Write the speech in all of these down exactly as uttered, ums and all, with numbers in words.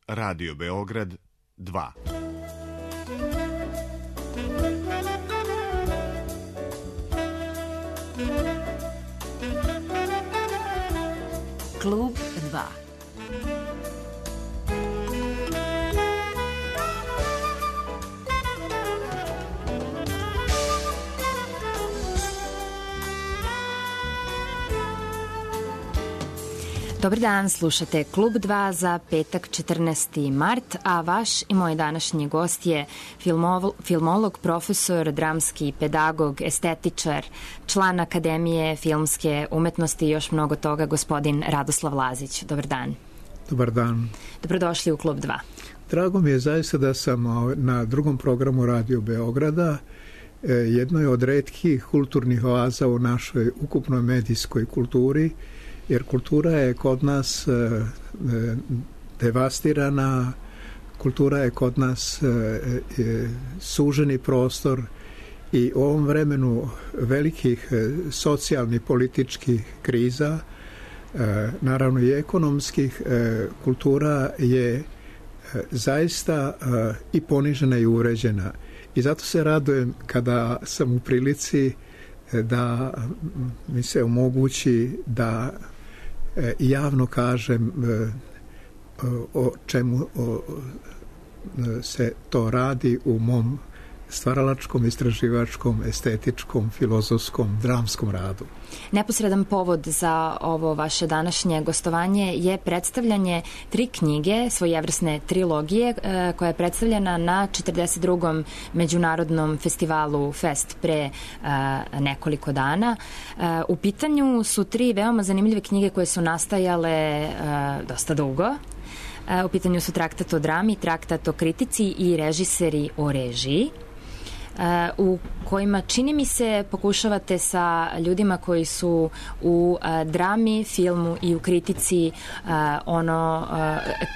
Radio Beograd dva. Klub dva. Dobar dan, slušate Klub dva za petak četrnaesti mart, a vaš i moj današnji gost je filmolog, filmolog, profesor, dramski pedagog, estetičar, član Akademije filmske umetnosti i još mnogo toga, gospodin Radoslav Lazić. Dobar dan. Dobar dan. Dobrodošli u Klub dva. Drago mi je zaista da sam na drugom programu Radio Beograda, jednoj od retkih kulturnih oaza u našoj ukupnoj medijskoj kulturi, jer kultura je kod nas e, e, devastirana, kultura je kod nas e, e, suženi prostor i u ovom vremenu velikih e, socijalnih, političkih kriza, e, naravno i ekonomskih, e, kultura je e, zaista e, i ponižena i uređena. I zato se radujem kada sam u prilici e, da mi se omogući da javno kažem o čemu se to radi u mom stvaralačkom, istraživačkom, estetičkom, filozofskom, dramskom radu. Neposredan povod za ovo vaše današnje gostovanje je predstavljanje tri knjige, svojevrsne trilogije, koja je predstavljena na četrdeset drugom međunarodnom festivalu Fest pre nekoliko dana. U pitanju su tri veoma zanimljive knjige koje su nastajale dosta dugo. U pitanju su Traktat o drami, Traktat o kritici i Režiseri o režiji, u kojima, čini mi se, pokušavate sa ljudima koji su u drami, filmu i u kritici ono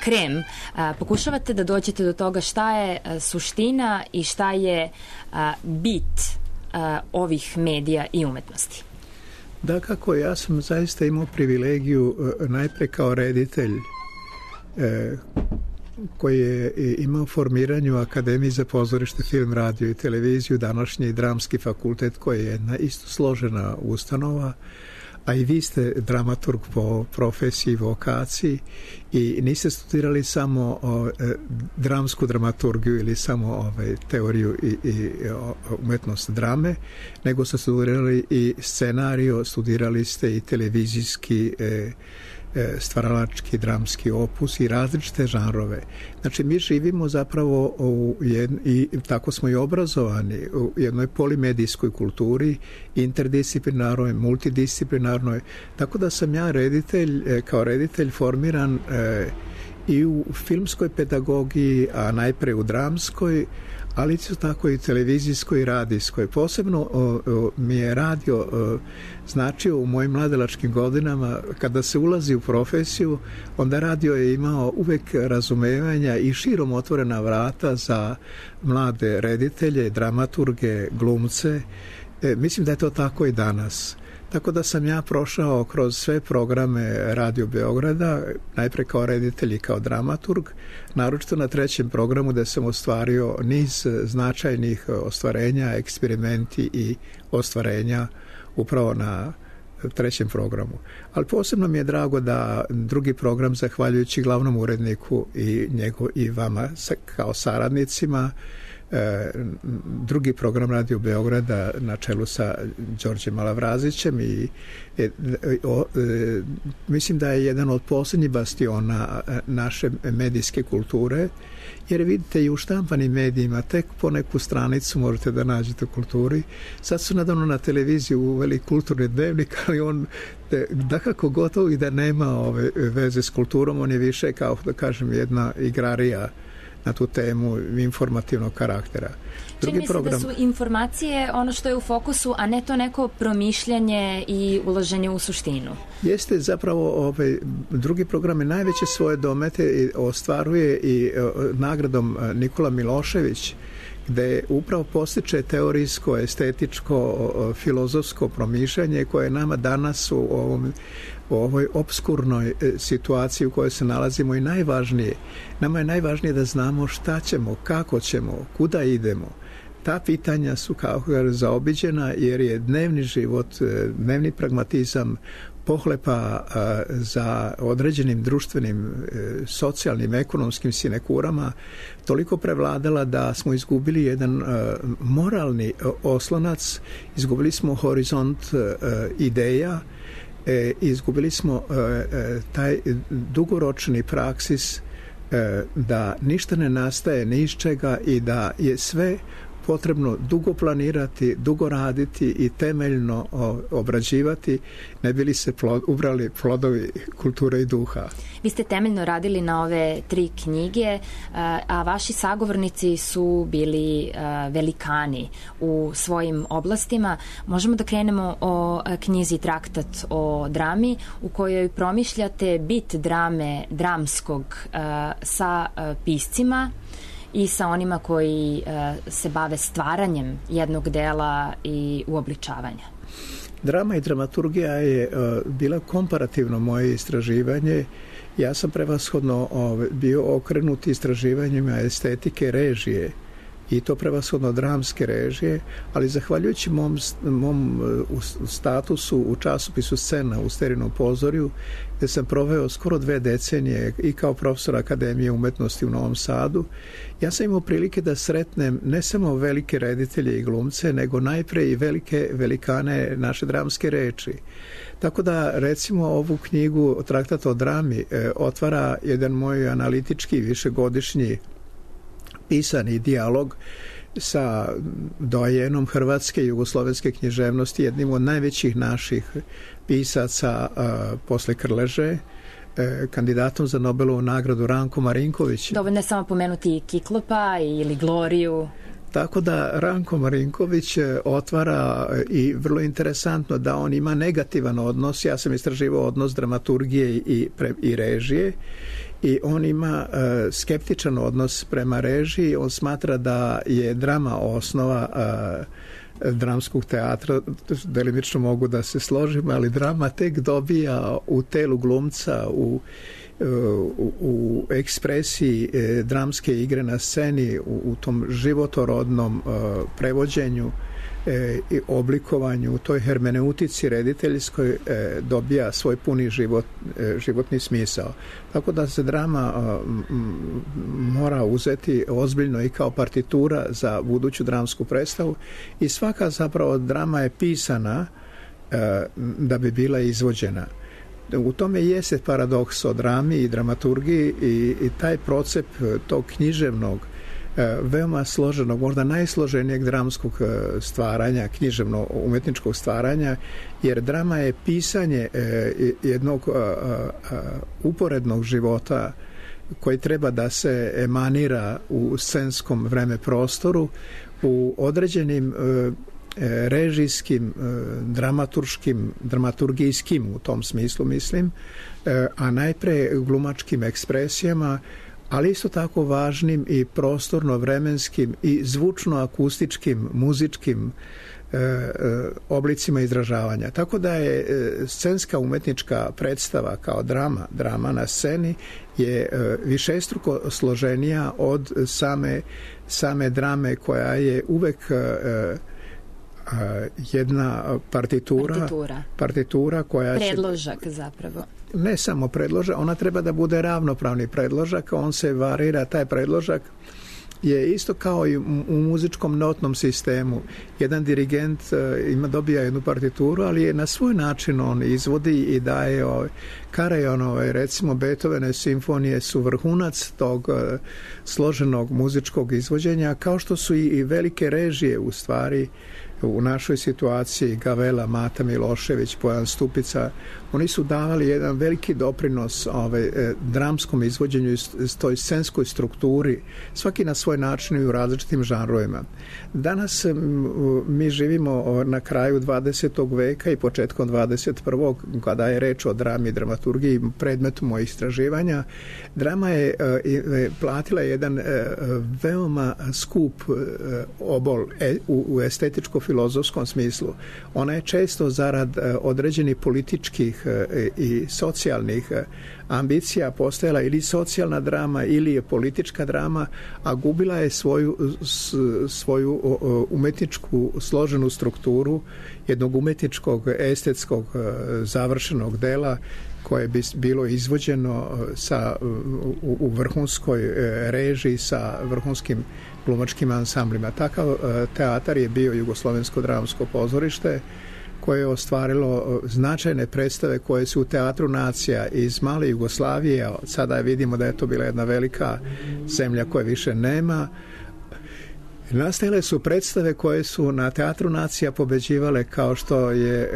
krem, pokušavate da dođete do toga šta je suština i šta je bit ovih medija i umetnosti. Da, kako, ja sam zaista imao privilegiju najpre kao reditelj e, koji je imao formiranju Akademije za pozorište, film, radio i televiziju, današnji dramski fakultet koji je jedna isto složena ustanova, a i vi ste dramaturg po profesiji i vokaciji i niste studirali samo o, e, dramsku dramaturgiju ili samo ovaj, teoriju i, i o, umetnost drame, nego ste studirali i scenario, studirali ste i televizijski e, stvaralački, dramski opus i različite žanrove. Znači, mi živimo zapravo u jedn, i tako smo i obrazovani u jednoj polimedijskoj kulturi, interdisciplinarnoj, multidisciplinarnoj, tako da sam ja reditelj, kao reditelj formiran e, i u filmskoj pedagogiji, a najpre u dramskoj, ali isto tako i televizijskoj i radijskoj. Posebno o, o, mi je radio o, značio u mojim mladalačkim godinama. Kada se ulazi u profesiju, onda radio je imao uvek razumevanja i širom otvorena vrata za mlade reditelje, dramaturge, glumce. E, mislim da je to tako i danas. Tako da sam ja prošao kroz sve programe Radio Beograda, najpre kao reditelj i kao dramaturg, naročito na trećem programu gde sam ostvario niz značajnih ostvarenja, eksperimenti i ostvarenja upravo na trećem programu. Ali posebno mi je drago da drugi program, zahvaljujući glavnom uredniku i, njegov, i vama kao saradnicima, drugi program Radio Beograda na čelu sa Đorđem Malavrazićem i e, o, e, mislim da je jedan od posljednjih bastiona naše medijske kulture, jer vidite i u štampanim medijima tek po neku stranicu možete da nađete u kulturi. Sad su nadavno na televiziji uveli kulturni dnevnik, ali on dakako gotovo i da nema ove veze s kulturom, on je više kao, da kažem, jedna igrarija na tu temu informativnog karaktera. Čini mi se program... da su informacije ono što je u fokusu, a ne to neko promišljanje i ulaženje u suštinu. Jeste zapravo ovaj, drugi program je najveće svoje domete i ostvaruje i o, nagradom Nikola Milošević gde upravo postiče teorijsko, estetičko, filozofsko promišljanje koje nama danas u ovom u ovoj obskurnoj situaciji u kojoj se nalazimo i najvažnije. Nama je najvažnije da znamo šta ćemo, kako ćemo, kuda idemo. Ta pitanja su kao zaobiđena jer je dnevni život, dnevni pragmatizam, pohlepa za određenim društvenim, socijalnim, ekonomskim sinekurama toliko prevladala da smo izgubili jedan moralni oslonac, izgubili smo horizont ideja, izgubili smo taj dugoročni praksis da ništa ne nastaje ni iz čega i da je sve potrebno dugo planirati, dugo raditi i temeljno obrađivati, ne bi li se plod, ubrali plodovi kulture i duha. Vi ste temeljno radili na ove tri knjige, a vaši sagovornici su bili velikani u svojim oblastima. Možemo da krenemo o knjizi Traktat o drami, u kojoj promišljate bit drame, dramskog sa piscima i sa onima koji uh, se bave stvaranjem jednog dela i uobličavanja. Drama i dramaturgija je uh, bila komparativno moje istraživanje. Ja sam prevashodno uh, bio okrenut istraživanjima estetike režije i to prevashodno dramske režije, ali zahvaljujući mom, mom uh, statusu u časopisu Scena u Sterinom pozorju, gde sam proveo skoro dve decenije i kao profesor Akademije umetnosti u Novom Sadu, ja sam imao prilike da sretnem ne samo velike reditelje i glumce, nego najpre i velike velikane naše dramske reči. Tako da, recimo, ovu knjigu Traktat o drami e, otvara jedan moj analitički višegodišnji pisani dijalog sa doajenom hrvatske i jugoslovenske književnosti, jednim od najvećih naših pisaca uh, posle Krleže, uh, kandidatom za Nobelovu nagradu Rankom Marinkovićem. Dovoljno je samo pomenuti Kiklopa ili Gloriju. Tako da Ranko Marinković otvara i vrlo interesantno da on ima negativan odnos. Ja sam istraživao odnos dramaturgije i, i režije i on ima uh, skeptičan odnos prema režiji. On smatra da je drama osnova uh, dramskog teatra. Delimično mogu da se složim, ali drama tek dobija u telu glumca, u U, u ekspresiji e, dramske igre na sceni, u, u tom životorodnom e, prevođenju e, i oblikovanju, u toj hermeneutici rediteljskoj e, dobija svoj puni život, e, životni smisao. Tako da se drama e, m, mora uzeti ozbiljno i kao partitura za buduću dramsku predstavu i svaka zapravo drama je pisana e, da bi bila izvođena. U tome jeste paradoks o drami i dramaturgiji i, i taj procep tog književnog, veoma složenog, možda najsloženijeg dramskog stvaranja, književno-umetničkog stvaranja, jer drama je pisanje jednog uporednog života koji treba da se emanira u scenskom vreme prostoru, u određenim režijskim, dramaturškim, dramaturgijskim u tom smislu mislim, a najpre glumačkim ekspresijama, ali isto tako važnim i prostorno-vremenskim i zvučno-akustičkim, muzičkim oblicima izražavanja. Tako da je scenska umetnička predstava kao drama, drama na sceni je višestruko složenija od same, same drame koja je uvek jedna partitura, partitura, partitura koja predložak će, zapravo. Ne samo predložak, ona treba da bude ravnopravni predložak, on se varira, taj predložak je isto kao i u muzičkom notnom sistemu. Jedan dirigent ima, dobija jednu partituru, ali je na svoj način on izvodi i daje ovaj, Karajanove, recimo Beethovenove simfonije su vrhunac tog uh, složenog muzičkog izvođenja, kao što su i, i velike režije u stvari u našoj situaciji Gavela, Mata Milošević, Bojan Stupica, oni su davali jedan veliki doprinos ovaj, dramskom izvođenju i toj scenskoj strukturi, svaki na svoj način i u različitim žanrovima. Danas mi živimo na kraju dvadesetog veka i početkom dvadeset prvog kada je reč o drami i dramaturgiji, predmetu mojih istraživanja. Drama je platila jedan veoma skup obol u estetičko-filozofskom smislu. Ona je često zarad određenih političkih i socijalnih ambicija postojala ili socijalna drama ili je politička drama, a gubila je svoju, svoju umetničku složenu strukturu jednog umetničkog, estetskog završenog dela koje bi bilo izvođeno sa, u, u vrhunskoj režiji sa vrhunskim glumačkim ansamblima. Takav teatar je bio Jugoslovensko dramsko pozorište koje je ostvarilo značajne predstave koje su u Teatru nacija iz male Jugoslavije, sada vidimo da je to bila jedna velika zemlja koje više nema. Nastajale su predstave koje su na Teatru nacija pobeđivale kao što je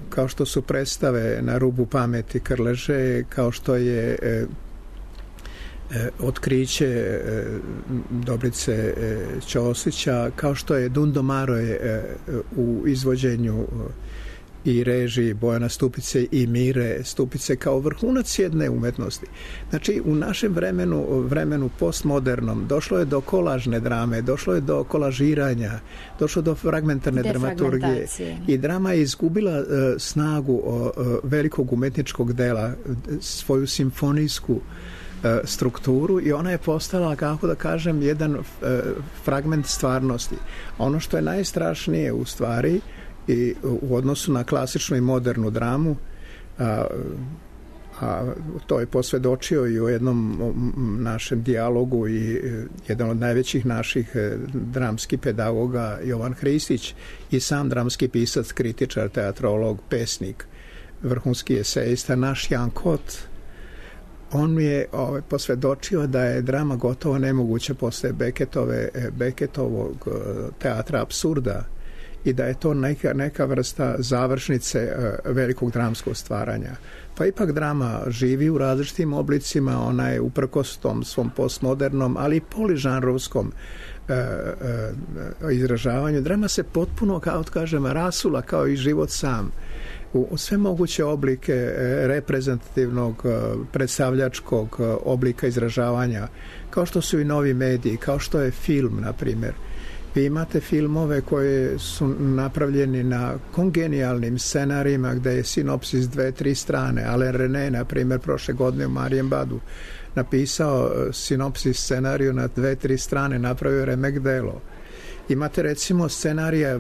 kao što su predstave Na rubu pameti Krleže, kao što je Otkriće Dobrice Ćosića, kao što je Dundomaro u izvođenju i režiji Bojana Stupice i Mire Stupice kao vrhunac jedne umetnosti. Znači, u našem vremenu, vremenu postmodernom, došlo je do kolažne drame, došlo je do kolažiranja, došlo do fragmentarne dramaturgije i drama je izgubila uh, snagu uh, velikog umetničkog dela, svoju simfonijsku strukturu i ona je postala, kako da kažem, jedan uh, fragment stvarnosti. Ono što je najstrašnije u stvari i u odnosu na klasičnu i modernu dramu, a, a to je posvedočio i u jednom našem dijalogu i jedan od najvećih naših dramskih pedagoga Jovan Hristić i sam dramski pisac, kritičar, teatrolog, pesnik, vrhunski esejista, naš Jan Kot. On mi je ovaj, posvedočio da je drama gotovo nemoguća posle Becketove, Becketovog teatra apsurda i da je to neka, neka vrsta završnice uh, velikog dramskog stvaranja. Pa ipak drama živi u različitim oblicima, ona je uprkos tom svom postmodernom, ali i poližanrovskom uh, uh, izražavanju. Drama se potpuno, kao kažem, rasula kao i život sam u sve moguće oblike reprezentativnog, predstavljačkog oblika izražavanja, kao što su i novi mediji, kao što je film, na primjer. Vi imate filmove koje su napravljeni na kongenijalnim scenarijima gde je sinopsis dve, tri strane. Alain René, na primjer, prošle godine u Marienbadu napisao sinopsis scenariju na dve, tri strane, napravio remek delo. Imate recimo scenarija e,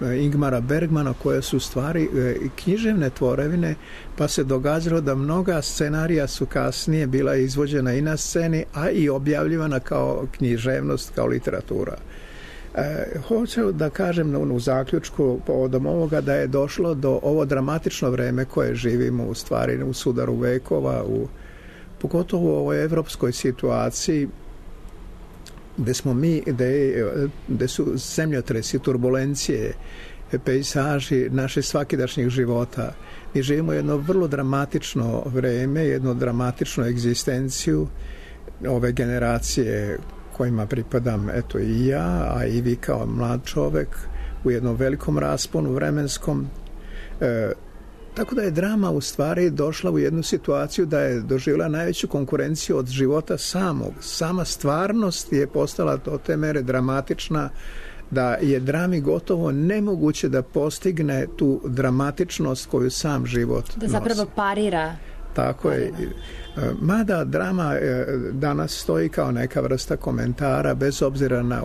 e, Ingmara Bergmana koje su stvari e, književne tvorevine, pa se događalo da mnoga scenarija su kasnije bila izvođena i na sceni, a i objavljivana kao književnost, kao literatura. E, hoću da kažem u zaključku povodom ovoga da je došlo do ovo dramatično vreme koje živimo u stvari u sudaru vekova, u, pogotovo u ovoj evropskoj situaciji gde smo mi, gde, gde su zemljotresi, turbulencije, pejsaži naše svakidašnjih života. Mi živimo jedno vrlo dramatično vreme, jednu dramatičnu egzistenciju ove generacije kojima pripadam, eto i ja, a i vi kao mlad čovek u jednom velikom rasponu vremenskom. E, Tako da je drama u stvari došla u jednu situaciju da je doživjela najveću konkurenciju od života samog. Sama stvarnost je postala do te mere dramatična da je drami gotovo nemoguće da postigne tu dramatičnost koju sam život nosi. Da zapravo parira. Tako je. Mada drama danas stoji kao neka vrsta komentara bez obzira na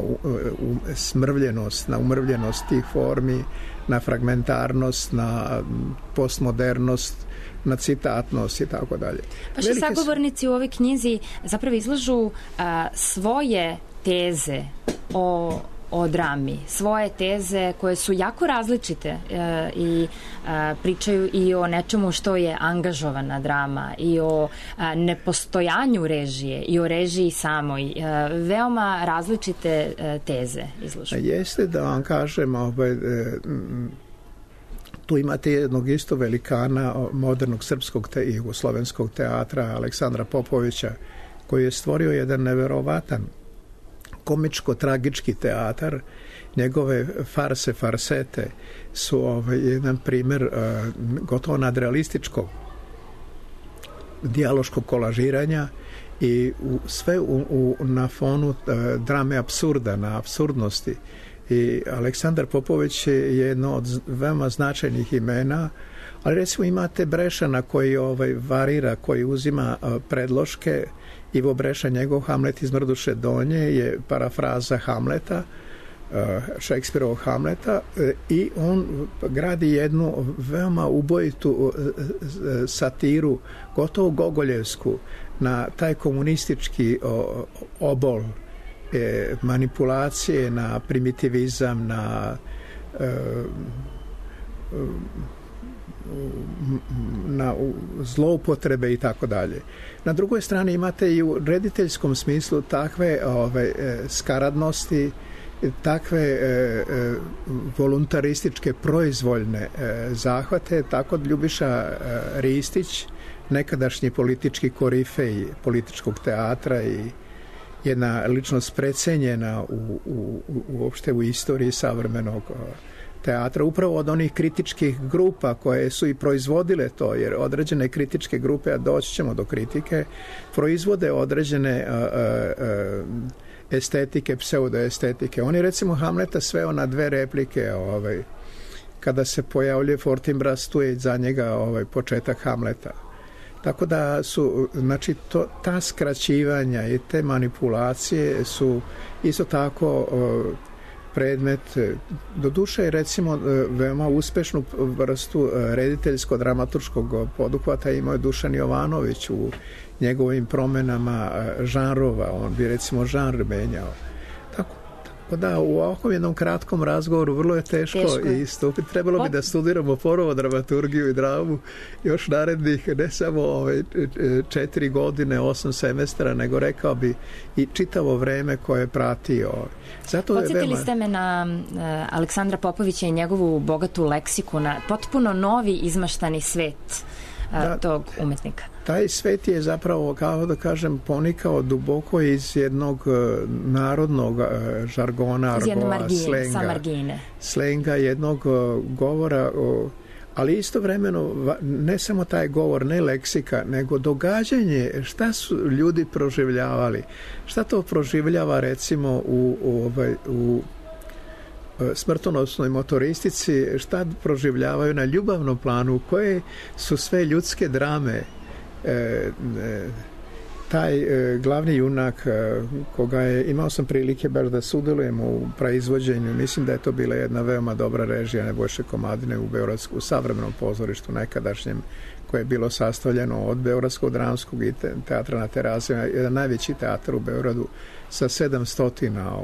smrvljenost, na umrvljenost tih formi, na fragmentarnost, na postmodernost, na citatnost i tako dalje. Vaši Velike sagovornici u ovoj knjizi zapravo izlažu a, svoje teze o o drami, svoje teze koje su jako različite e, i e, pričaju i o nečemu što je angažovana drama i o e, nepostojanju režije i o režiji samoj. E, veoma različite e, teze izložene. Jeste da vam kažem, ovaj, e, tu imate jednog isto velikana modernog srpskog te, i jugoslovenskog teatra Aleksandra Popovića, koji je stvorio jedan neverovatan komičko-tragički teatar. Njegove farse, farsete su ovaj, jedan primer uh, gotovo nadrealističkog dijaloškog kolažiranja i u, sve u, u, na fonu uh, drame apsurda, na apsurdnosti. I Aleksandar Popović je jedno od veoma značajnih imena, ali recimo imate Brešana koji ovaj, varira, koji uzima uh, predloške. Ivo Breša, njegov Hamlet iz Mrduše Donje je parafraza Hamleta, Šekspirovog Hamleta, i on gradi jednu veoma ubojitu satiru, gotovo gogoljevsku, na taj komunistički obol manipulacije, na primitivizam, na na zloupotrebe i tako dalje. Na drugoj strani imate i u rediteljskom smislu takve ove, skaradnosti, takve e, e, voluntarističke proizvoljne e, zahvate, tako da Ljubiša e, Ristić, nekadašnji politički korifej političkog teatra i jedna ličnost precenjena u, u, u, uopšte u istoriji savremenog teatra, upravo od onih kritičkih grupa koje su i proizvodile to, jer određene kritičke grupe, a doći ćemo do kritike, proizvode određene a, a, a, estetike, pseudoestetike. On je recimo Hamleta sveo na dve replike, ovaj, kada se pojavljuje Fortinbras, tu je za njega ovaj, početak Hamleta. Tako da su, znači, to, ta skraćivanja i te manipulacije su isto tako uh, predmet, do duše je recimo veoma uspešnu vrstu rediteljsko-dramaturškog poduhvata imao je Dušan Jovanović u njegovim promenama žanrova, on bi recimo žanr menjao. Tako, tako da u ovakvom jednom kratkom razgovoru vrlo je teško, teško je. istupiti. Trebalo bi da studiramo ponovo dramaturgiju i dramu još narednih ne samo ove četiri godine, osam semestra, nego rekao bi i čitavo vreme koje prati ovaj. Zato Podsjetili veoma... ste me na uh, Aleksandra Popovića i njegovu bogatu leksiku, na potpuno novi izmaštani svet uh, da, tog umetnika. Taj svet je zapravo, kao da kažem, ponikao duboko iz jednog uh, narodnog uh, žargona, argoa, slenga. Sa margine. Slenga, jednog uh, govora, uh, ali istovremeno ne samo taj govor, ne leksika, nego događanje, šta su ljudi proživljavali, šta to proživljava recimo u, u, ovaj, u smrtonosnoj motoristici, šta proživljavaju na ljubavnom planu, koje su sve ljudske drame. E, e, taj e, glavni junak e, koga je, imao sam prilike baš da sudjelujem u praizvođenju, mislim da je to bila jedna veoma dobra režija Nebojše Komadine u Beogradsku, u savremenom pozorištu nekadašnjem, koje je bilo sastavljeno od Beogradskog dramskog i te, teatra na Terazijama, jedan najveći teatar u Beogradu sa sedamsto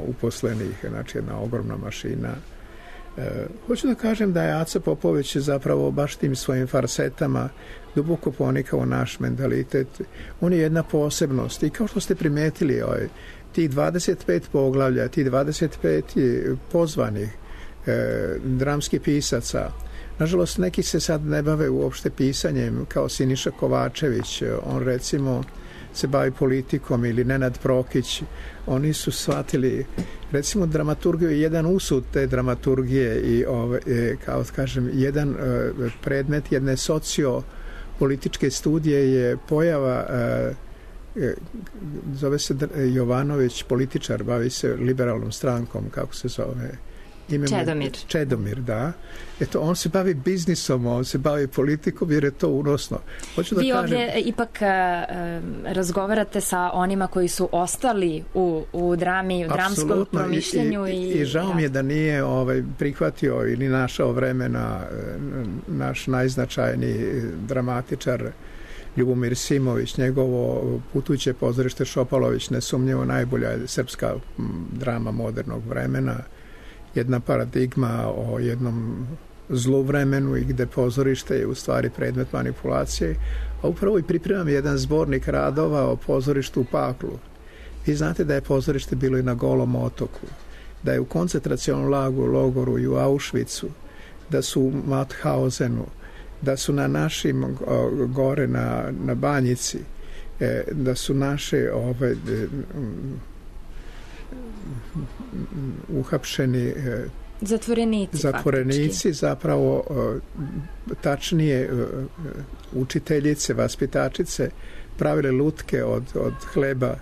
uposlenih, znači jedna ogromna mašina. E, hoću da kažem da je Aca Popović zapravo baš tim svojim farsetama duboko ponikao naš mentalitet. On je jedna posebnost i kao što ste primetili, ovaj, ti dvadeset pet poglavlja, ti dvadeset pet pozvanih e, dramskih pisaca, nažalost neki se sad ne bave uopšte pisanjem, kao Siniša Kovačević, on recimo se bavi politikom, ili Nenad Prokić, oni su shvatili recimo dramaturgiju je jedan usud te dramaturgije i ove, kao kažem, jedan uh, predmet jedne sociopolitičke studije je pojava uh, zove se Jovanović, političar, bavi se liberalnom strankom, kako se zove, ime Čedomir. Čedomir, da. Eto, on se bavi biznisom, on se bavi politikom jer je to unosno. Hoću da Vi kažem... ovdje ipak uh, razgovarate sa onima koji su ostali u, u drami, u dramskom promišljanju. I, i, i, i žao mi je da nije ovaj, prihvatio ili našao vremena naš najznačajniji dramatičar Ljubomir Simović, njegovo Putujuće pozorište Šopalović, nesumnjivo najbolja srpska drama modernog vremena. jedna paradigma o jednom zlu vremenu i gde pozorište je u stvari predmet manipulacije, a upravo i pripremam jedan zbornik radova o pozorištu u paklu. Vi znate da je pozorište bilo i na Golom otoku, da je u koncentracionom lagu, logoru i u Auschwitzu, da su u Mauthausenu, da su na našim gore na, na Banjici, da su naše ove, uhapšeni zatvorenici, zatvorenici faktički. Zapravo tačnije učiteljice, vaspitačice pravile lutke od, od hleba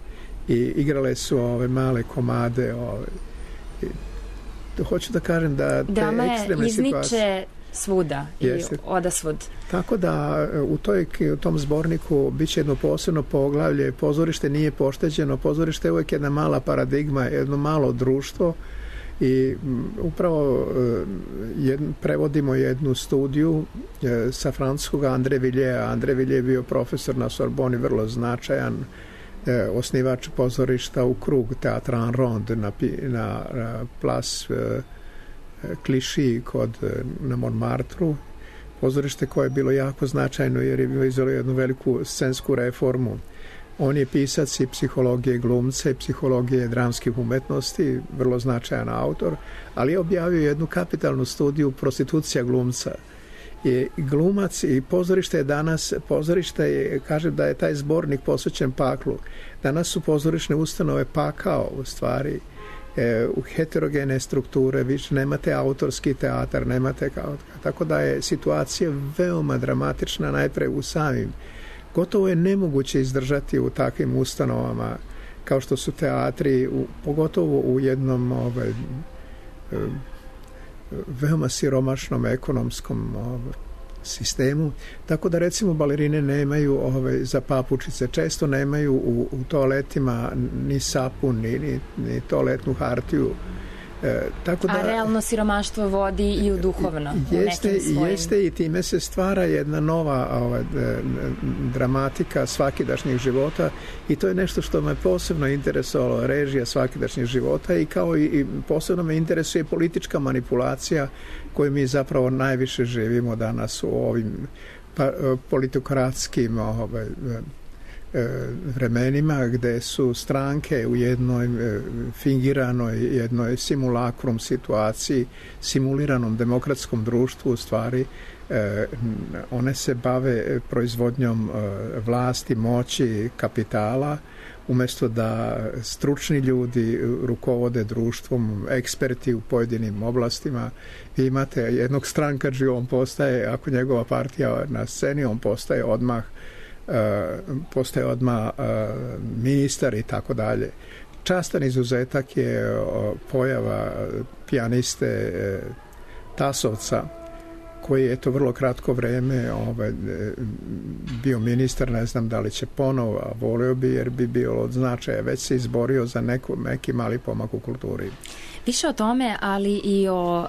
i igrale su ove male komade. Ove. Hoću da kažem da te Drama ekstremne izniče situacije svuda jeste. I odasvud. Tako da u, toj, u tom zborniku biće jedno posebno poglavlje. Pozorište nije pošteđeno, pozorište je uvijek jedna mala paradigma, jedno malo društvo i upravo jed, prevodimo jednu studiju sa francuskog Andre Villiers. Andre Villiers je bio profesor na Sorboni, vrlo značajan osnivač pozorišta u krug Teatra en Ronde na, na, na Place Clichy kod, na Montmartru, pozorište koje je bilo jako značajno jer je bilo izvelo jednu veliku scensku reformu. On je pisac i psihologije glumca i psihologije dramskih umetnosti, vrlo značajan autor, ali je objavio jednu kapitalnu studiju Prostitucija glumca. I glumac i pozorište je danas, pozorište je, kažem da je taj zbornik posvećen paklu. Danas su pozorišne ustanove pakao u stvari, e, u heterogene strukture, više nemate autorski teatar, nemate kao, tako da je situacija veoma dramatična najpre u samim. Gotovo je nemoguće izdržati u takvim ustanovama kao što su teatri, u, pogotovo u jednom ovaj, e, veoma siromašnom ekonomskom ovaj, sistemu, tako da recimo balerine nemaju ovaj, za papučice, često nemaju u, u toaletima ni sapun, ni, ni, ni toaletnu hartiju. E, tako da, a realno siromaštvo vodi i u duhovno. Jeste, u nekim svojim... jeste i time se stvara jedna nova ovaj, dramatika svakidašnjih života i to je nešto što me posebno interesovalo, režija svakidašnjih života i kao i, i posebno me interesuje politička manipulacija koju mi zapravo najviše živimo danas u ovim pa, politokratskim ovaj, vremenima gde su stranke u jednoj fingiranoj, jednoj simulakrum situaciji, simuliranom demokratskom društvu u stvari one se bave proizvodnjom vlasti, moći, kapitala umesto da stručni ljudi rukovode društvom, eksperti u pojedinim oblastima. Vi imate jednog strankađiju, on postaje, ako njegova partija na sceni, on postaje odmah Uh, postaje odmah uh, ministar i tako dalje. Častan izuzetak je uh, pojava pijaniste uh, Tasovca koji je to vrlo kratko vreme ovaj, bio ministar, ne znam da li će ponovo, a volio bi jer bi bio od značaja, već se izborio za neku, neki mali pomak u kulturi. Više o tome, ali i o uh,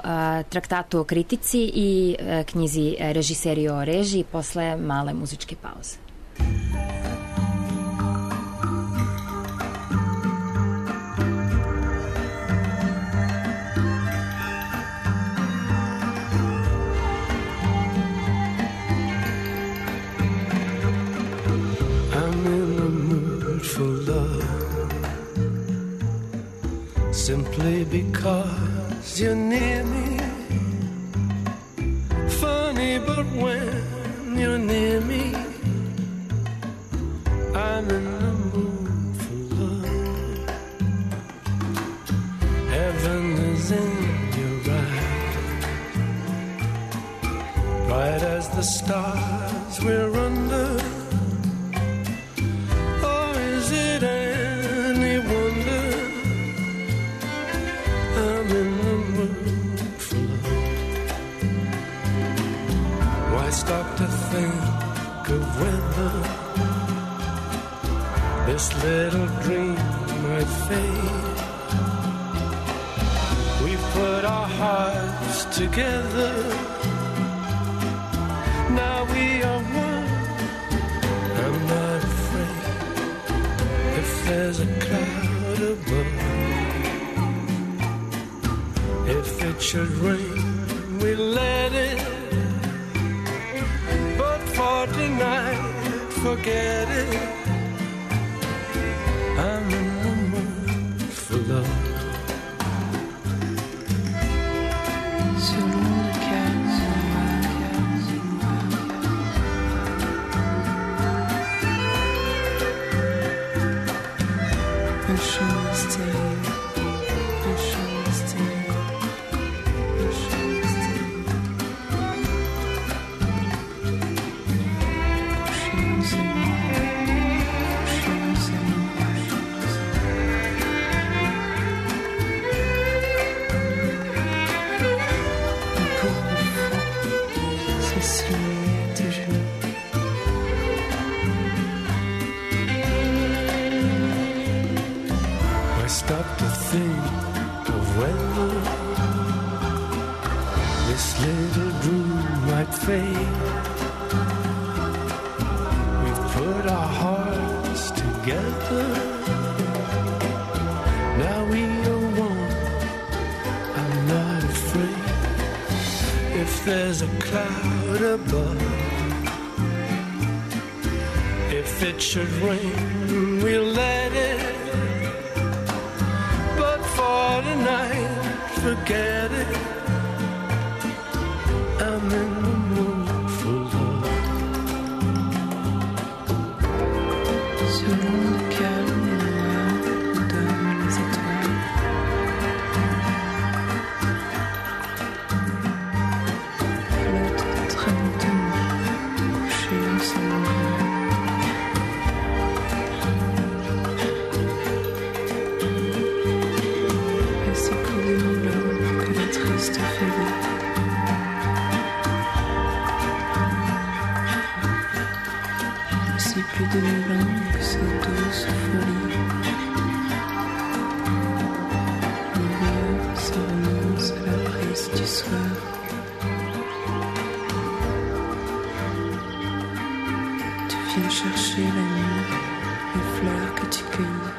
traktatu o kritici i uh, knjizi Režiseri o režiji posle male muzičke pauze. Simply because you're near me. Funny, but when you're near me, I'm in the mood for love. Heaven is in your eyes, bright as the stars we're under. Or is it any wonder I'm in the mood for love? Why stop to think of whether this little dream might fade? We've put our hearts together, now we are one. I'm not afraid if there's a cloud above, if If it should rain, we let it. But for tonight, forget it. I'm in the mood for love. Sur l'onde calme, un chant mystérieux, un chant mystérieux, un chant mystérieux. Couchez-vous à moi, couchez-vous à moi. Stop to think of whether this little dream might fade. We've put our hearts together. Now we are one. I'm not afraid. If there's a cloud above, if it should rain, we'll let it. For tonight, forget it. I'm in the mood for love. Sur l'onde calme et noire où dorment les étoiles. Flotte très lentement, couchée en son plus de mille ans que cette douce folie. Mon rêve, ça renonce à la brise du soir. Tu viens chercher la nuit, les fleurs que tu cueillis.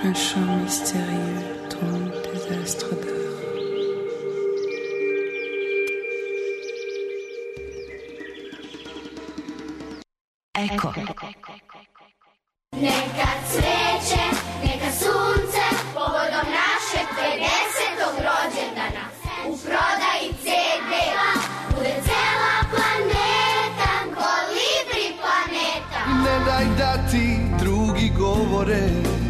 Un chant mystérieux trompe des astres d'or. Eko. Neka cveće, neka sunce, povodom našeg pedesetog rođendana. U prodaji ce de bude cela planeta, kolibri planeta. Ne daj da ti drugi govore,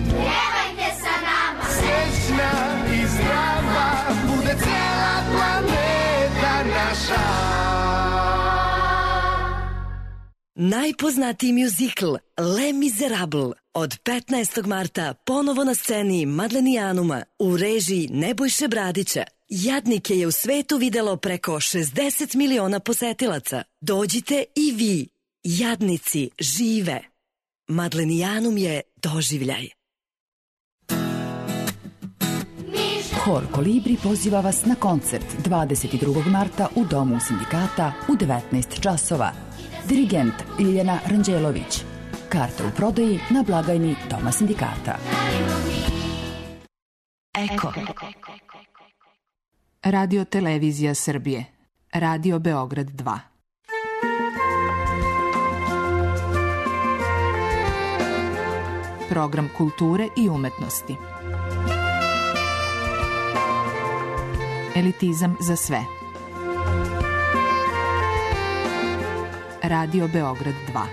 Pjevajte sa nama, srećna i zdrava, bude cela planeta naša. Najpoznatiji mjuzikl Les Miserables od petnaestog marta ponovo na sceni Madlenijanuma u režiji Nebojše Bradića. Jadnike je u svetu videlo preko šezdeset miliona posetilaca. Dođite i vi. Jadnici žive. Madlenijanum je doživljaj. Hor Kolibri poziva vas na koncert dvadeset drugog marta u Domu sindikata u devetnaest časova. Dirigent Ljiljana Ranđelović. Karte u prodaji na blagajni Doma sindikata. Eko. Radio Televizija Srbije. Radio Beograd dva. Program kulture i umetnosti. Elitizam za sve. Radio Beograd dva.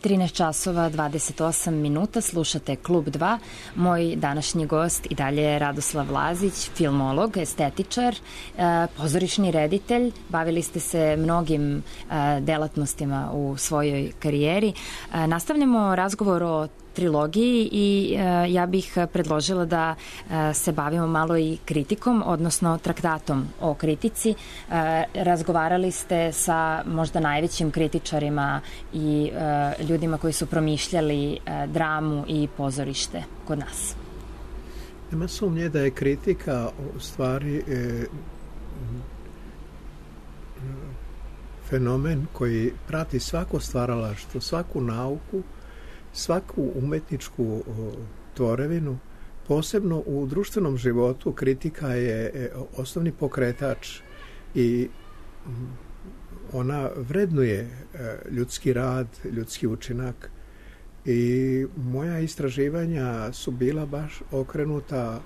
trinaest časova dvadeset osam minuta, slušate Klub dva. Moj današnji gost i dalje je Radoslav Lazić, filmolog, estetičar, pozorišni reditelj. Bavili ste se mnogim delatnostima u svojoj karijeri. Nastavljamo razgovor o trilogiji i e, ja bih predložila da e, se bavimo malo i kritikom, odnosno traktatom o kritici. E, razgovarali ste sa možda najvećim kritičarima i e, ljudima koji su promišljali e, dramu i pozorište kod nas. Nema sumnje da je kritika u stvari e, fenomen koji prati svako stvaralaštvo, svaku nauku, svaku umetničku tvorevinu. Posebno u društvenom životu kritika je osnovni pokretač i ona vrednuje ljudski rad, ljudski učinak i moja istraživanja su bila baš okrenuta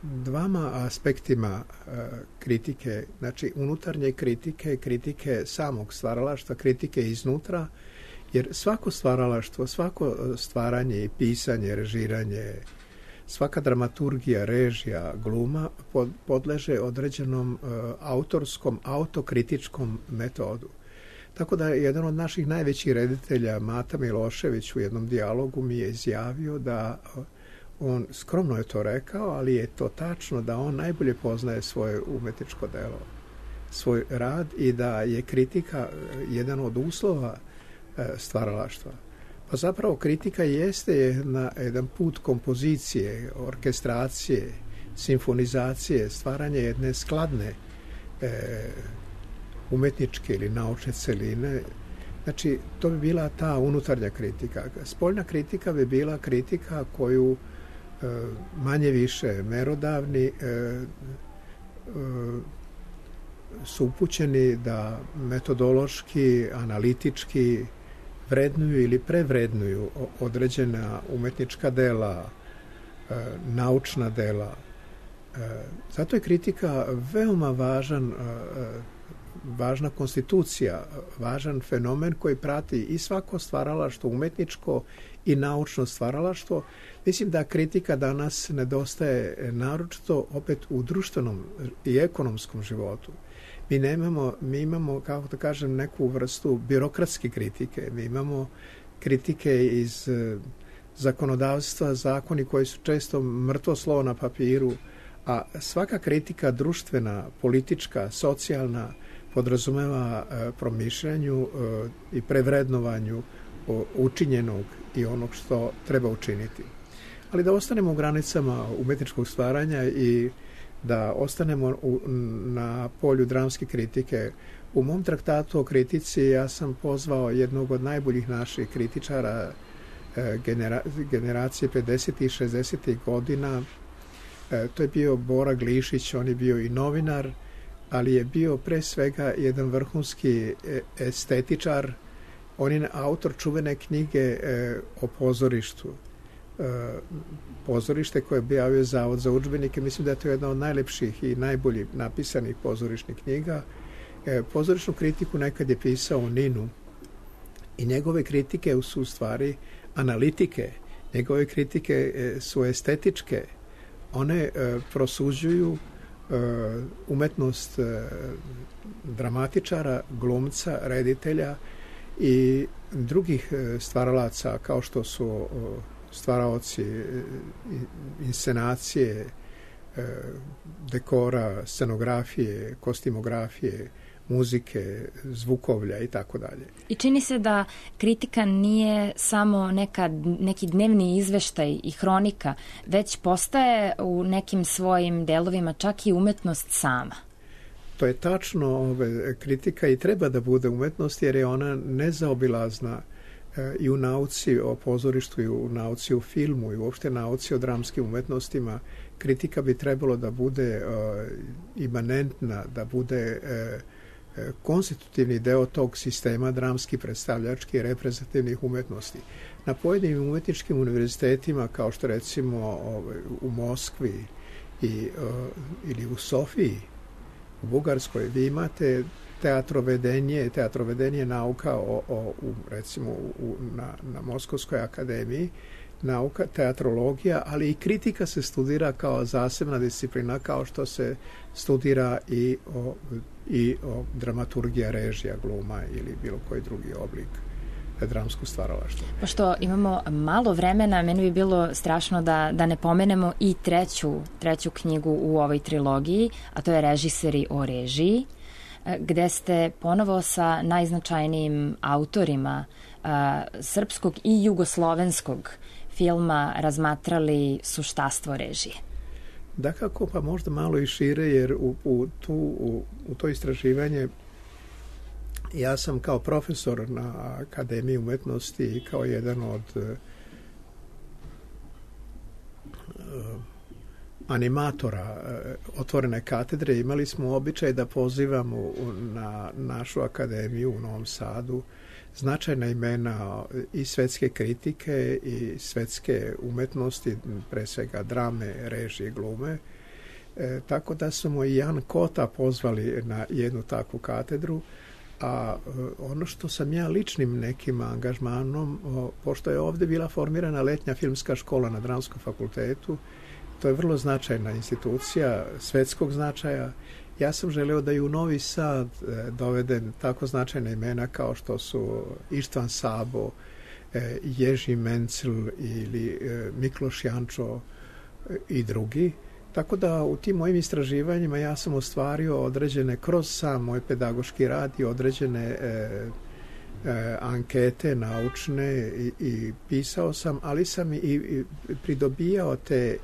dvama aspektima kritike, znači unutarnje kritike, kritike samog stvaralaštva, kritike iznutra, jer svako stvaralaštvo, svako stvaranje i pisanje, režiranje, svaka dramaturgija, režija, gluma podleže određenom autorskom, autokritičkom metodu. Tako da jedan od naših najvećih reditelja, Mata Milošević, u jednom dijalogu mi je izjavio da on, skromno je to rekao, ali je to tačno, da on najbolje poznaje svoje umetničko delo, svoj rad i da je kritika jedan od uslova stvaralaštva. Pa zapravo kritika jeste jedna, jedan put kompozicije, orkestracije, simfonizacije, stvaranje jedne skladne e, umetničke ili naučne celine. Znači, to bi bila ta unutarnja kritika. Spoljna kritika bi bila kritika koju e, manje više merodavni e, e, su upućeni da metodološki, analitički vrednuju ili prevrednuju određena umetnička dela, e, naučna dela. E, zato je kritika veoma važan, e, važna konstitucija, važan fenomen koji prati i svako stvaralaštvo, umetničko i naučno stvaralaštvo. Mislim da kritika danas nedostaje naročito opet u društvenom i ekonomskom životu. Mi nemamo, mi imamo, kako da kažem, neku vrstu birokratske kritike. Mi imamo kritike iz zakonodavstva, zakoni koji su često mrtvo slovo na papiru, a svaka kritika društvena, politička, socijalna podrazumeva promišljanju i prevrednovanju učinjenog i onog što treba učiniti. Ali da ostanemo u granicama umetničkog stvaranja i da ostanemo u, na polju dramske kritike. U mom traktatu o kritici ja sam pozvao jednog od najboljih naših kritičara e, genera, generacije pedesetih i šezdesetih godina. E, to je bio Bora Glišić, on je bio i novinar, ali je bio pre svega jedan vrhunski estetičar. On je autor čuvene knjige e, o pozorištu. Pozorište koje je objavio Zavod za udžbenike. Mislim da je to jedna od najlepših i najboljih napisanih pozorišnih knjiga. Pozorišnu kritiku nekad je pisao u Ninu i njegove kritike su u stvari analitike. Njegove kritike su estetičke. One prosuđuju umetnost dramatičara, glumca, reditelja i drugih stvaralaca kao što su stvaraoci inscenacije, dekora, scenografije, kostimografije, muzike, zvukovlja i tako dalje. I čini se da kritika nije samo neka, neki dnevni izveštaj i hronika, već postaje u nekim svojim delovima čak i umetnost sama. To je tačno, ove, kritika i treba da bude umetnost jer je ona nezaobilazna i u nauci o pozorištu, i u nauci o filmu, i uopšte nauci o dramskim umetnostima. Kritika bi trebalo da bude uh, imanentna, da bude uh, konstitutivni deo tog sistema dramski, predstavljački i reprezentativnih umetnosti. Na pojedinim umetničkim univerzitetima, kao što recimo ovaj, u Moskvi i, uh, ili u Sofiji, u Bugarskoj, vi imate teatrovedenje, teatrovedenje nauka o, o, u, recimo u, na, na Moskovskoj akademiji, nauka, teatrologija, ali i kritika se studira kao zasebna disciplina, kao što se studira i o, i o dramaturgija, režija, gluma ili bilo koji drugi oblik dramskog stvaralaštva. Pošto imamo malo vremena, meni bi bilo strašno da, da ne pomenemo i treću, treću knjigu u ovoj trilogiji, a to je Režiseri o režiji, gde ste ponovo sa najznačajnijim autorima a, srpskog i jugoslovenskog filma razmatrali suštastvo režije. Dakako, pa možda malo i šire, jer u, u, tu, u, u to istraživanje ja sam kao profesor na Akademiji umetnosti i kao jedan od uh, animatora uh, otvorene katedre imali smo običaj da pozivamo u, na našu akademiju u Novom Sadu značajna imena i svetske kritike i svetske umetnosti, pre svega drame, režije, glume. E, tako da smo i Jan Kota pozvali na jednu takvu katedru, a ono što sam ja ličnim nekim angažmanom, o, pošto je ovde bila formirana letnja filmska škola na Dramskom fakultetu, to je vrlo značajna institucija svetskog značaja. Ja sam želeo da i u Novi Sad e, dovedem tako značajna imena kao što su Ištvan Sabo, e, Ježi Mencl ili e, Mikloš Jančo e, i drugi. Tako da u tim mojim istraživanjima ja sam ostvario određene, kroz sam moj pedagoški rad i određene e, e, ankete naučne i, i pisao sam, ali sam i, i pridobijao te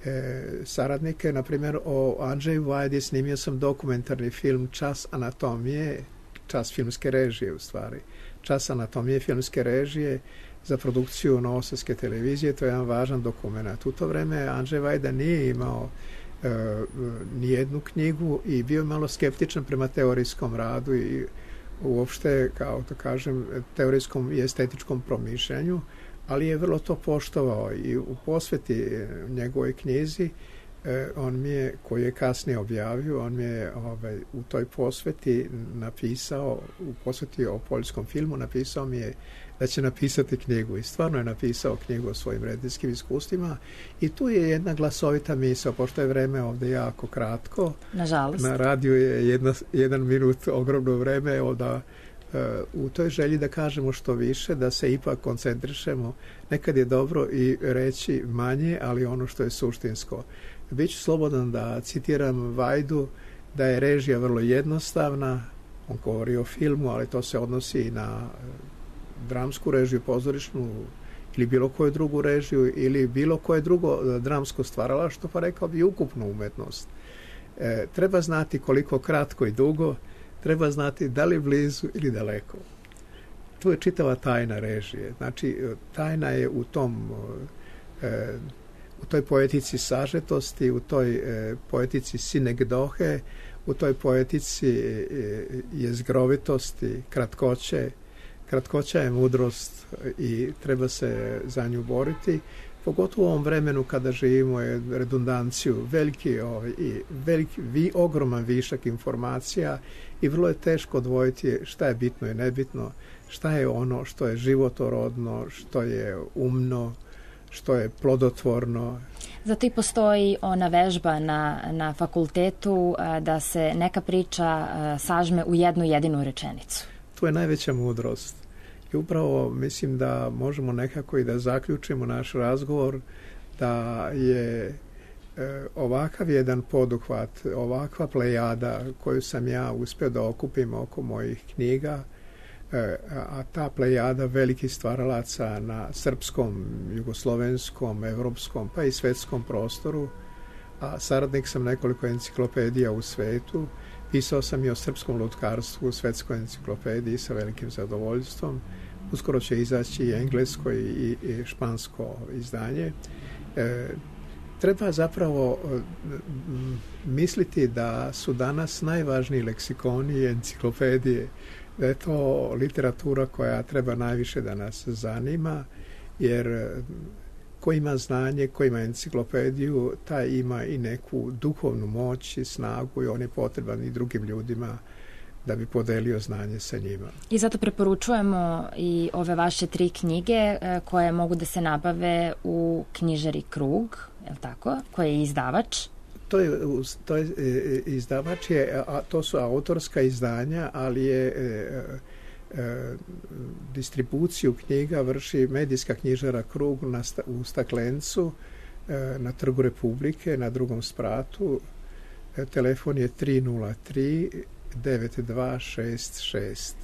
E, saradnike, na primjer o Andžeju Vajdi snimio sam dokumentarni film Čas anatomije, čas filmske režije u stvari, Čas anatomije filmske režije za produkciju Novosadske televizije. To je jedan važan dokument. U to vreme Andžej Vajda nije imao e, nijednu knjigu i bio malo skeptičan prema teorijskom radu i uopšte, kao da kažem, teorijskom i estetičkom promišljanju, ali je vrlo to poštovao i u posveti njegovoj knjizi eh, on mi je, koji je kasnije objavio, on mi je ovaj, u toj posveti napisao, u posveti o poljskom filmu napisao mi je da će napisati knjigu i stvarno je napisao knjigu o svojim rediteljskim iskustvima i tu je jedna glasovita misao, pošto je vreme ovde jako kratko. Nažalost. Na radiju je jedna, jedan minut ogromno vreme, evo da u toj želji da kažemo što više, da se ipak koncentrišemo. Nekad je dobro i reći manje, ali ono što je suštinsko. Biću slobodan da citiram Vajdu, da je režija vrlo jednostavna, on govori o filmu, ali to se odnosi i na dramsku režiju, pozorišnu ili bilo koju drugu režiju ili bilo koje drugo dramsko stvaralaštvo, pa rekao bi ukupnu umetnost. E, treba znati koliko kratko i dugo, treba znati da li blizu ili daleko. Tu je čitava tajna režije. Znači, tajna je u tom, e, u toj poetici sažetosti, u toj e, poetici sinegdohe, u toj poetici e, jezgrovitosti, kratkoće. Kratkoća je mudrost i treba se za nju boriti. Pogotovo u ovom vremenu kada živimo je redundanciju, veliki, ovaj, i veliki, vi, ogroman višak informacija i vrlo je teško odvojiti šta je bitno i nebitno, šta je ono što je životorodno, što je umno, što je plodotvorno. Zato i postoji ona vežba na, na fakultetu da se neka priča sažme u jednu jedinu rečenicu. To je najveća mudrost. I upravo mislim da možemo nekako i da zaključimo naš razgovor da je e, ovakav jedan poduhvat, ovakva plejada koju sam ja uspio da okupim oko mojih knjiga, e, a ta plejada velikih stvaralaca na srpskom, jugoslovenskom, evropskom pa i svetskom prostoru, a saradnik sam nekoliko enciklopedija u svetu, pisao sam i o srpskom lutkarstvu u svetskoj enciklopediji sa velikim zadovoljstvom. Uskoro će izaći i englesko i, i špansko izdanje. E, treba zapravo m, misliti da su danas najvažniji leksikoni i enciklopedije, da je to literatura koja treba najviše da nas zanima, jer ko ima znanje, ko ima enciklopediju, taj ima i neku duhovnu moć i snagu i on je potreban i drugim ljudima da bi podelio znanje sa njima. I zato preporučujemo i ove vaše tri knjige koje mogu da se nabave u knjižari Krug, je li tako? Koje je izdavač? To je, to je izdavač, je, a to su autorska izdanja, ali je e, e, distribuciju knjiga vrši medijska knjižara Krug na, u Staklencu, e, na Trgu Republike, na drugom spratu. E, telefon je tri nula tri devet dva šest šest.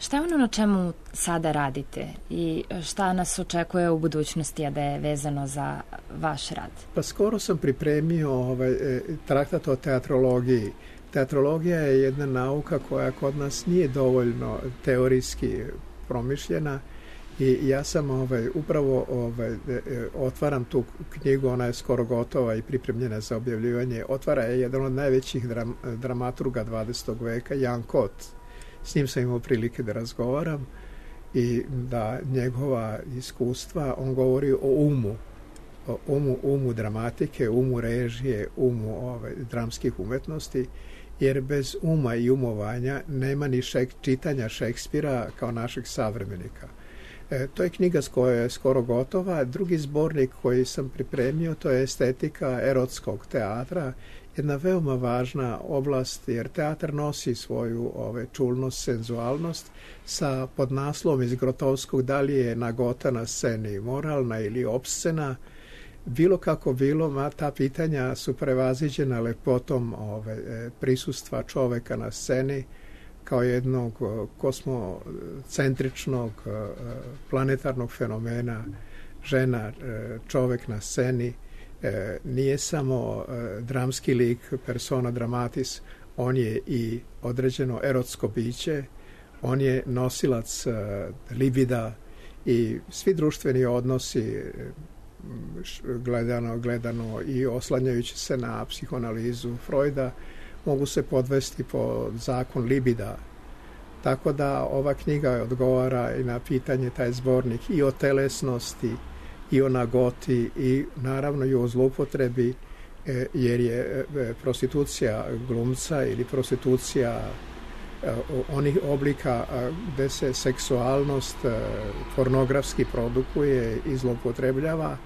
Šta je ono na čemu sada radite i šta nas očekuje u budućnosti, a da je vezano za vaš rad? Pa skoro sam pripremio ovaj, traktat o teatrologiji. Teatrologija je jedna nauka koja kod nas nije dovoljno teorijski promišljena i ja sam ovaj, upravo ovaj, otvaram tu knjigu, ona je skoro gotova i pripremljena za objavljivanje. Otvara je jedan od najvećih dram, dramaturga dvadesetog veka, Jan Kot. S njim sam imao prilike da razgovaram i da njegova iskustva, on govori o umu, o umu, umu dramatike, umu režije, umu ovaj, dramskih umetnosti, jer bez uma i umovanja nema ni šek, čitanja Šekspira kao našeg savremenika. E, to je knjiga koja je skoro gotova. Drugi zbornik koji sam pripremio, to je estetika erotskog teatra, jedna veoma važna oblast, jer teatar nosi svoju ove, čulnost, senzualnost sa podnaslovom iz Grotovskog, da li je nagota na sceni moralna ili opscena. Bilo kako bilo, ma ta pitanja su prevaziđena lepotom ove, prisustva čoveka na sceni kao jednog kosmocentričnog planetarnog fenomena. Žena, čovek na sceni, nije samo dramski lik, persona dramatis, on je i određeno erotsko biće, on je nosilac libida i svi društveni odnosi gledano, gledano i oslanjajući se na psihoanalizu Freuda mogu se podvesti po zakon libida. Tako da ova knjiga odgovara i na pitanje, taj zbornik, i o telesnosti, i o nagoti, i naravno i o zloupotrebi, jer je prostitucija glumca ili prostitucija onih oblika gde se seksualnost pornografski produkuje i zloupotrebljava,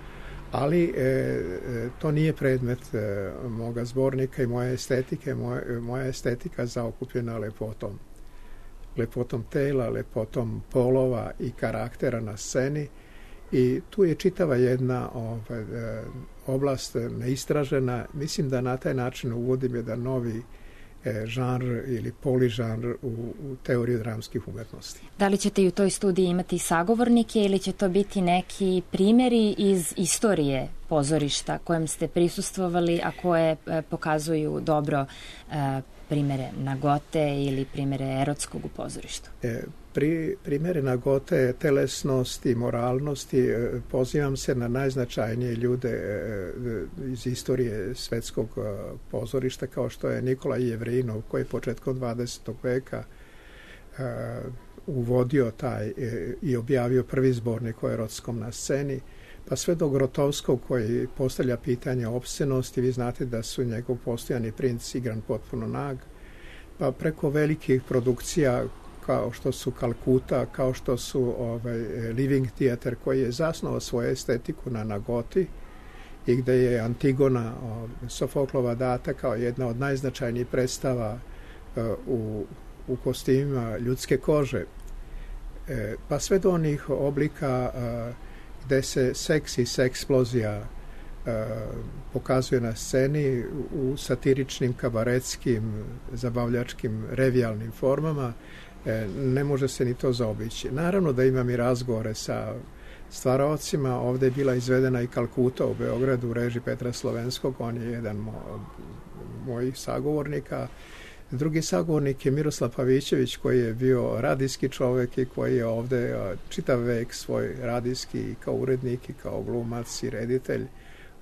ali e, to nije predmet e, moga zbornika i moje estetike. Moja, moja estetika zaokupljena lepotom. Lepotom tela, lepotom polova i karaktera na sceni. I tu je čitava jedna ovaj, oblast neistražena. Mislim da na taj način uvodim jedan novi e, žanr ili poližanr u, u teoriju dramskih umetnosti. Da li ćete i u toj studiji imati sagovornike ili će to biti neki primjeri iz istorije pozorišta kojem ste prisustvovali, a koje e, pokazuju dobro e, primere nagote ili primere erotskog u pozorištu? E, pri, primere nagote, telesnosti, moralnosti, e, pozivam se na najznačajnije ljude e, iz istorije svetskog e, pozorišta, kao što je Nikolaj Jevrinov, koji je početkom dvadesetog veka e, uvodio taj e, i objavio prvi zbornik o erotskom na sceni, pa sve do Grotovskog koji postavlja pitanje opscenosti. Vi znate da su njegov postojani princ igran potpuno nag, pa preko velikih produkcija kao što su Kalkuta, kao što su ovaj, Living Theater, koji je zasnovao svoju estetiku na nagoti i gde je Antigona, ovaj, Sofoklova data kao jedna od najznačajnijih predstava uh, u, u kostimima ljudske kože. E, pa sve do onih oblika uh, gde se seks i seksplozija uh, pokazuje na sceni u satiričnim, kabaretskim, zabavljačkim, revijalnim formama, e, ne može se ni to zaobići. Naravno da imam i razgovore sa stvaraocima. Ovde je bila izvedena i Kalkuta u Beogradu u režiji Petra Slovenskog, on je jedan mo, mojih sagovornika. Drugi sagovornik je Miroslav Pavićević, koji je bio radijski čovek i koji je ovde čitav vek svoj radijski i kao urednik i kao glumac i reditelj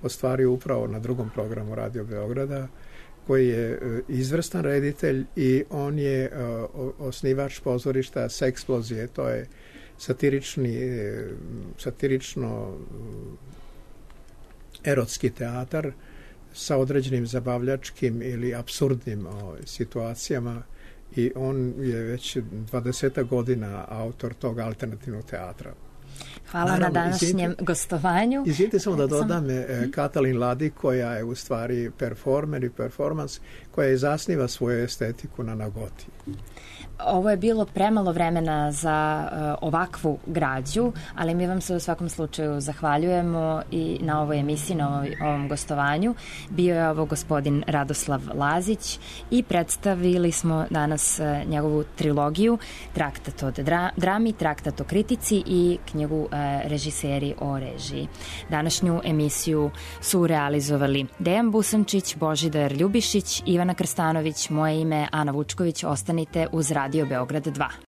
ostvario upravo na drugom programu Radio Beograda, koji je izvrstan reditelj i on je osnivač pozorišta Seksplozije. To je satirični, satirično erotski teatar sa određenim zabavljačkim ili apsurdnim o, situacijama, i on je već dvadeset godina autor tog alternativnog teatra. Hvala Naravno, na današnjem izvijete, gostovanju. Izvijete samo da dodam Sam... Katalin Ladi, koja je u stvari performer i performans, koja je zasniva svoju estetiku na nagoti. Ovo je bilo premalo vremena za uh, ovakvu građu, ali mi vam se u svakom slučaju zahvaljujemo i na ovoj emisiji, na ovoj, ovom gostovanju. Bio je ovo gospodin Radoslav Lazić i predstavili smo danas uh, njegovu trilogiju Traktat o dra, drami, Traktat o kritici i knjigu uh, Režiseri o režiji. Današnju emisiju su realizovali Dejan Busančić, Božidar Ljubišić, Ivana Krstanović, moje ime Ana Vučković. Ostanite uz Radio Beograd dva.